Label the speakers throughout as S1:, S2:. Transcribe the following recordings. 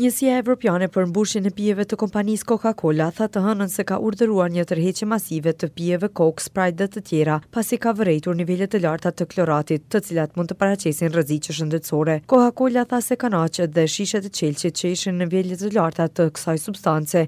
S1: Njësia Evropiane për mbushjen e pijeve të kompanisë Coca-Cola tha të hënën se ka urdhëruar një tërheqje masive të pijeve Coke, Sprite dhe të tjera, pasi ka vërejtur nivele të larta të kloratit, të cilat mund të paraqesin rreziqe shëndetësore. Coca-Cola tha se kanaçet dhe shishet e qelqit që ishin në nivele të larta të kësaj substance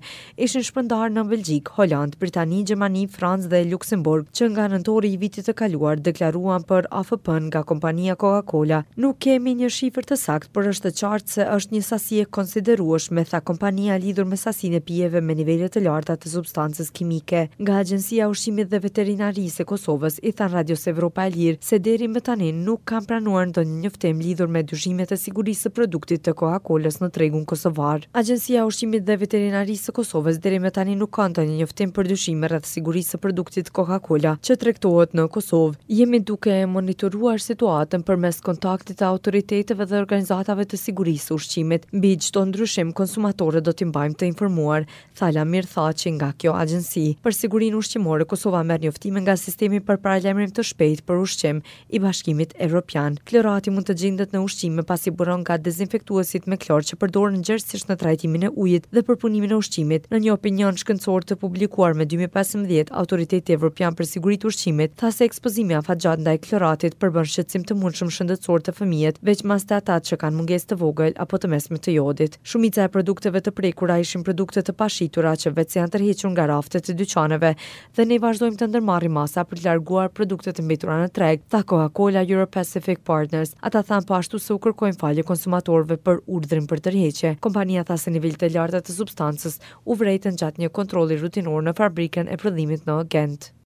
S1: ishin shpërndarë në Belgjikë, Holandë, Britani, Gjermani, Francë dhe Luksemburg që nga nëntori i vitit të kaluar, deklaruan për AFP-në nga kompania Coca-Cola. Nuk kemi një shifër të saktë, por është e qartë se është një sasi e konsiderueshme, tha kompania lidhur me sasinë e pijeve me nivele të larta të substancës kimike. Nga Agjencia e Ushqimit dhe Veterinarisë e Kosovës i thanë Radios Evropa e Lirë se deri më tani nuk kanë pranuar ndonjë njoftim lidhur me dyshimet e sigurisë së produktit të Coca-Colës në tregun kosovar. Agjencia e Ushqimit dhe Veterinarisë së Kosovës deri më tani nuk ka ndonjë njoftim për dyshime rreth sigurisë së produktit Coca-Cola që tregtohet në Kosovë. Jemi duke e monitoruar situatën përmes kontaktit të autoriteteve dhe organizatave të sigurisë së ushqimit. Mbi çdo ndryshim konsumatorët do t'i mbajmë të informuar, tha Lamir Thaçi nga kjo agjenci. Për sigurinë ushqimore, Kosova merr njoftime nga sistemi për paralajmërim të shpejtë për ushqim, i Bashkimit Evropian. Klorati mund të gjendet në ushqime pasi buron nga dezinfektuesit me klor që përdoren gjerësisht në trajtimin e ujit dhe përpunimin e ushqimit. Në një opinion shkencor të publikuar më 2015, Autoriteti Evropian për Siguri të Ushqimit tha se ekspozimi afatgjatë ndaj kloratit përbën shqetësim të mundshëm shëndetësor te fëmijët, veçmas te ata që kanë mungesë të vogël apo të mesme të jodit. Shumica e produkteve të prekura ishin produkte të pashitura që veçse janë tërhequr nga raftet e dyqaneve dhe ne vazhdojmë të ndërmarrim masa për të larguar produktet e mbetura në treg, tha Coca-Cola Europacific Partners. Ata thanë po ashtu se u kërkojnë falje konsumatorëve për urdhrin për tërheqje. Kompania tha se nivelet e larta të substancës u vërejtën gjatë një kontrolli rutinor në fabrikën e prodhimit në Gent.